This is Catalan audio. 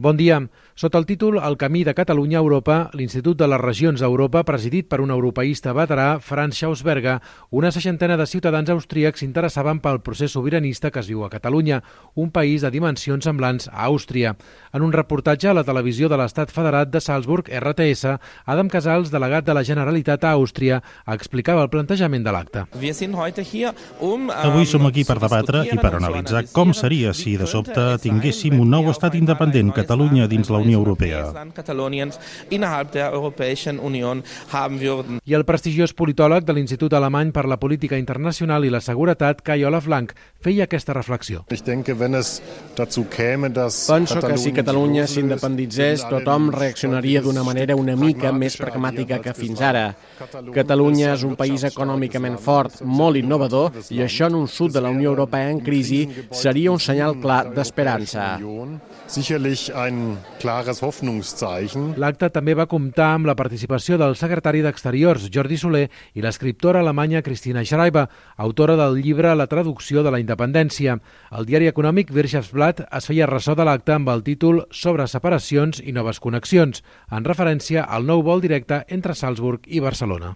Bon dia. Sota el títol El camí de Catalunya a Europa, l'Institut de les Regions d'Europa, presidit per un europeista veterà, Franz Schausberger, una seixantena de ciutadans austríacs s'interessaven pel procés sobiranista que es viu a Catalunya, un país de dimensions semblants a Àustria. En un reportatge a la televisió de l'Estat Federat de Salzburg, RTS, Adam Casals, delegat de la Generalitat a Àustria, explicava el plantejament de l'acte. Avui som aquí per debatre i per analitzar com seria si de sobte tinguéssim un nou estat independent, Catalunya, dins la Unió Europea. I el prestigiós politòleg de l'Institut Alemany per la Política Internacional i la Seguretat, Kai-Olaf Blank, feia aquesta reflexió. Penso que si Catalunya s'independitzés, tothom reaccionaria d'una manera una mica més pragmàtica que fins ara. Catalunya és un país econòmicament fort, molt innovador, i això en un sud de la Unió Europea en crisi seria un senyal clar d'esperança. L'acte també va comptar amb la participació del secretari d'Exteriors, Jordi Soler, i l'escriptora alemanya Christina Schreiber, autora del llibre La traducció de la independència. El diari econòmic Wirtschaftsblatt es feia ressò de l'acte amb el títol Sobre separacions i noves connexions, en referència al nou vol directe entre Salzburg i Barcelona.